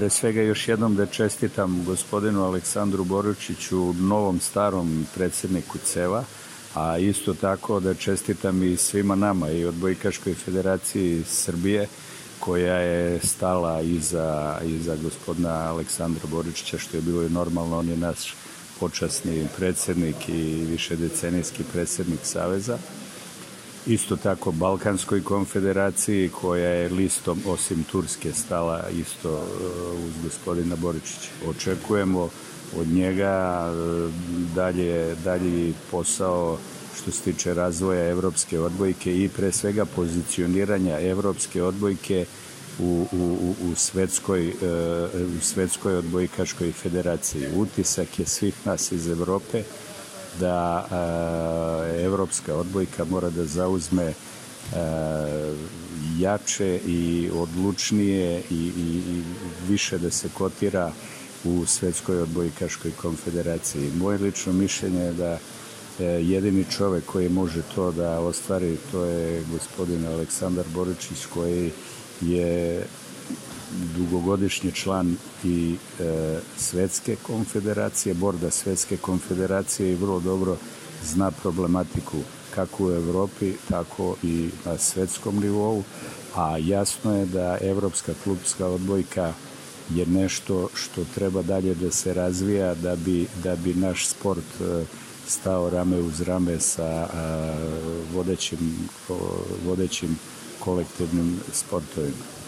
pre svega još jednom da čestitam gospodinu Aleksandru Boručiću, novom starom predsjedniku CEV-a, a isto tako da čestitam i svima nama i Odbojkaškoj federaciji Srbije koja je stala iza gospodina Aleksandra Boručića, što je bilo i normalno. On je naš počasni predsjednik i višedecenijski predsjednik Saveza. Isto tako Balkanskoj konfederaciji koja je listom osim Turske stala isto uz gospodina Boručića. Očekujemo od njega dalji posao što se tiče razvoja evropske odbojke i pre svega pozicioniranja evropske odbojke u svetskoj odbojkaškoj federaciji. Utisak je svih nas iz Evrope da evropska odbojka mora da zauzme jače i odlučnije i više da se kotira u svetskoj odbojkaškoj konfederaciji. Moje lično mišljenje je da jedini čovek koji može to da ostvari, to je gospodin Aleksandar Boručić, koji je dugogodišnji član i svetske konfederacije, borda svetske konfederacije i vrlo dobro zna problematiku kako u Evropi, tako i na svetskom nivou, a jasno je da evropska klubska odbojka je nešto što treba dalje da se razvija da bi naš sport stao rame uz rame sa vodećim kolektivnim sportovima.